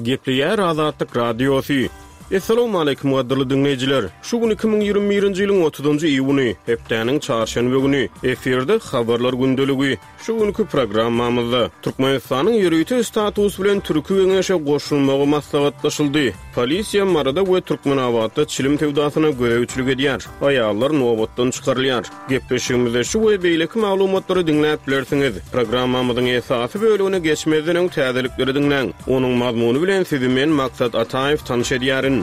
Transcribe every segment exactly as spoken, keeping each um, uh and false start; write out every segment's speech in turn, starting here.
Gepleýär Azatlyk Radiosy. Essalawmaleýkim gadyrly diňleýjiler! Şu gün iki müň ýigrimi birinji ýylyň otuzynjy iýuny, hepdäniň çarşenbe güni. Efirde Habarlar gündeligi. Şu günki programmamyzda Türkmenistanyň ýörite status bilen Türki Geňeşe goşulmagy maslahatlaşyldy. Polisiýa Maryda we Türkmenabatda çilim söwdasyna gözegçilik edýär. Aýallar nobatdan çykarylýar. Gepleşigimizde şu we beýleki maglumatlary diňläp bilersiňiz. Programmamyzyň esasy bölegine geçmezden öň täzelikleri diňläň. Onuň mazmuny bilen sizi men Maksat Ataýew tanyş edýärin.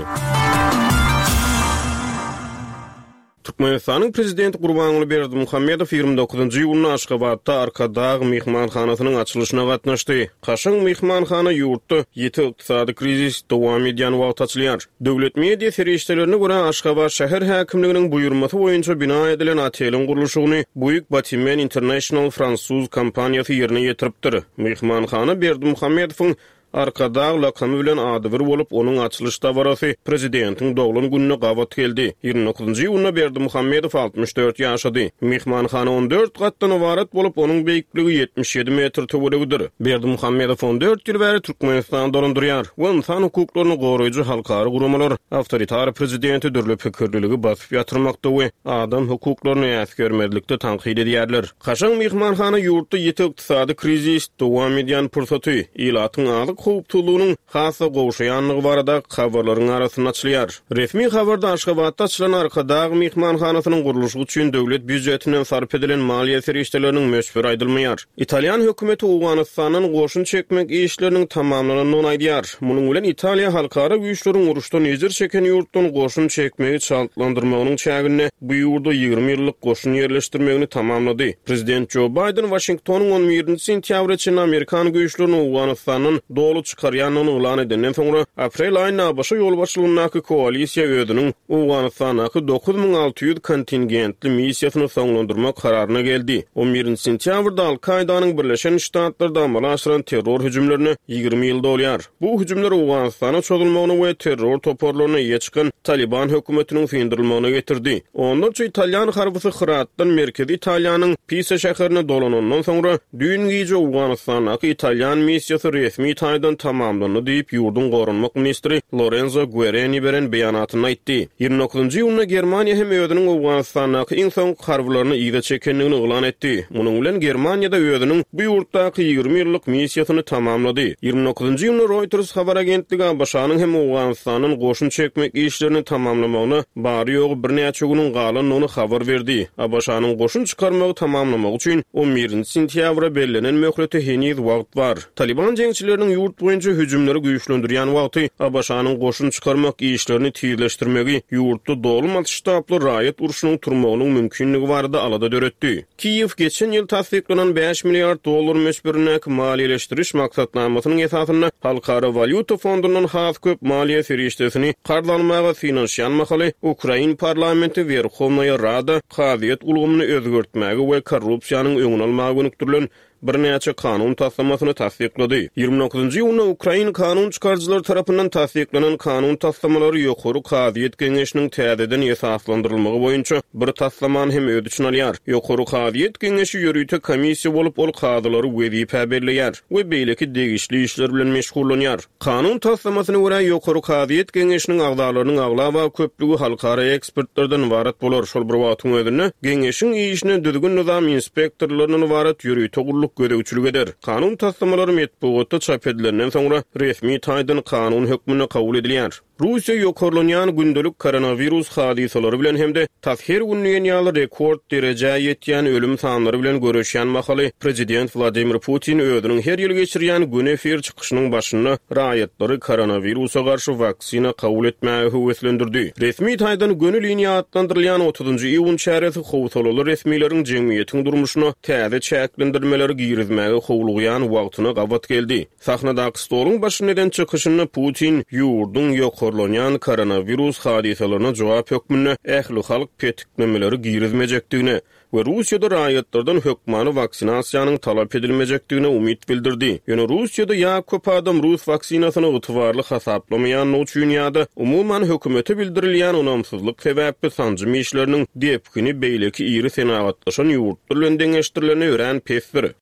Türkmenistanyň Prezidenti Gurbanguly Berdimuhamedow ýigrimi dokuzynjy iýunda Aşgabatda Arkadag myhmanhanasynyň açylyşyna gatnaşdy. Kaşaň myhmanhana ýurtda ýiti ykdysady krizis dowam edýän wagty açylýar. Döwlet media serişdelerine görä, Aşgabat şäher häkimliginiň buýurmasy boýunça bina edilen oteliň gurluşygyny Bouygues Bâtiment International fransuz kompaniýasy ýerine ýetiripdir. Myhmanhana Berdimuhamedowyň Arkadag lakamy bilen adybir bolup, onuň açylyş dabarasy prezidentiň doglan gününe gabat geldi. Ýigrimi dokuzynjy iýunda Berdimuhamedow altmyş dört ýaşady. Myhmanhana on dört gatdan ybarat bolup, onuň beýikligi ýetmiş ýedi metr töweregidir. Berdimuhamedow on dört ýyl bäri Türkmenistany dolandyrýar we ynsan hukuklaryny goraýjy halkara guramalar awtoritar prezidenti dürli pikirliligi basyp ýatyrmakda we adam hukuklaryny äsgermezlikde tankyt edýärler. Kaşaň myhmanhana ýurtda ýiti ykdysady krizis dowam edýän pursaty, ilatyň azyk howpsuzlygynyň has-da gowşaýandygy barada habarlaryň arasynda açylýar. Resmi habarda Aşgabatda açylan Arkadag myhmanhanasynyň gurluşygy üçin döwlet býujetinden sarp edilen maliýe serişdeleriniň möçberi aýdylmaýar. Italýan hökümeti Owganystandan goşun çekmek işleriniň tamamlanandygyny aýdýar. Munuň bilen Italiýa halkara güýçleriň uruşdan ejir çeken ýurtdan goşun çekmegi çaltlandyrmagynyň çäginde bu ýurda ýigrimi ýyllyk goşun ýerleşdirmegini tamamlady. Prezident Jo Baýden Waşingtonyň on birinji sentýabra çenli amerikan güýçlerini Owganystandan doly çykarýandygyny yglan edenden soňra, aprel aýynda A B Ş ýolbaşçylygyndaky koalisiýa özüniň Owganystandaky dokuz müň alty ýüz kontingentli missiýasyny soňlandyrmak kararyna geldi. On birinji sentýabrda Al-Kaidanyň Birleşen Ştatlarda amala aşyran terror hüjümlerine ýigrimi ýyl dolýar. Bu hüjümler Owganystana çozulmagyna we terror toparlaryna eýe çykan Taliban hökümetiniň syndyrylmagyna getirdi. Onlarça italýan harbysy Hyratdan merkezi Italiýanyň Pisa şäherine dolanandan soňra, düýn gije Owganystandaky italýan missiýasy resmi taýdan tamamlandy diýip, ýurduň goranmak ministri Lorenzo Guerini beren beýanatynda aýtdy. Ýigrimi dokuzynjy iýunda Germaniýa hem özüniň Owganystandaky iň soňky harbylaryny yza çekendigini yglan etdi. Munuň bilen Germaniýada özüniň bu ýurtdaky ýigrimi ýyllyk missiýasyny tamamlady. Ýigrimi dokuzynjy iýunda Reuters habar agentligi A B Ş-nyň hem Owganystandan goşun çekmek işlerini tamamlamagyna bary-ýogy birnäçe günüň galandygyny habar berdi. A B Ş-nyň goşun çykarmagy tamamlamagy üçin on birinji sentýabra bellenen möhlete heniz wagt bar. Taliban jeňçileriniň ýurt boýunça hüjümleri güýçlendirýän wagty A B Ş-nyň goşun çykarmak işlerini tizleşdirmegi ýurtda doly masştably raýat urşunyň turmagynyň mümkinligi barada alada döretdi. Kiýew geçen ýyl tassyklanan bäş milliard dollar möçberindäki maliýeleşdiriş maksatnamasynyň esasynda Halkara walýuta fondundan has köp maliýe serişdesini karz almaga synanyşýan mahaly Ukrain parlamenti Werhownaýa Rada kazyýet ulgamyny özgertmäge we korrupsiýanyň öňüni almaga gönükdirilen birnäçe kanun taslamasyny tassyklady. Ýigrimi dokuzynjy iýunda Ukrain kanun çykaryjylary tarapyndan tassyklanan kanun taslamalary Ýokary kazyýet geňeşiniň täzeden esaslandyrylmagy boýunça bir taslamany hem öz içine alýar. Ýokary kazyýet geňeşi ýörite komissiýa bolup, ol kazylary wezipä belleýär we beýleki degişli işler bilen meşgullanýar. Kanun taslamasyna görä Ýokary kazyýet geňeşiniň agzalarynyň aglaba köplügi halkara ekspertlerden ybarat bolar. Şol bir wagtyň özünde geňeşiň işine düzgün nizam inspektorlaryndan ybarat ýörite gulluk gözegçilik eder. Kanun taslamalary metbugatda çap edilenden soňra resmi taýdan kanun hökmünde kabul edilýär. Russiýa ýokarlanýan gündelik koronawirus hadysalary bilen hem-de tas her gün diýen ýaly rekord derejä ýetýän ölüm sanlary bilen göreşýän mahaly prezident Wladimir Putin özüniň her ýyl geçirýän gün efir çykyşynyň başynda raýatlary koronawirusa garşy waksina kabul etmäge höweslendirdi. Resmi taýdan göni liniýa atlandyrylýan otuzynjy iýun çäresi howsalaly resmileriň jemgyýetiň durmuşyna täze çäklendirmeleri girizmäge howlugýan wagtyna gabat geldi. Sahnadaky stoluň başynda eden çykyşynda Putin ýurduň ýokarlanýan koronawirus hadysalaryna jogap hökmünde ähli halk petiklemeleri girizmejekdigine we Russiýada raýatlardan hökmany waksinasiýanyň talap edilmejekdigine umyt bildirdi. Ýöne Russiýada ýa köp adam rus waksinasyny ygtybarly hasaplamaýanlygy üçin ýa-da umuman hökümete bildirilýän onamsyzlyk sebäpli sanjym işleriniň depgini beýleki iri senagatlaşan ýurtlar bilen deňeşdirilende örän pesdir.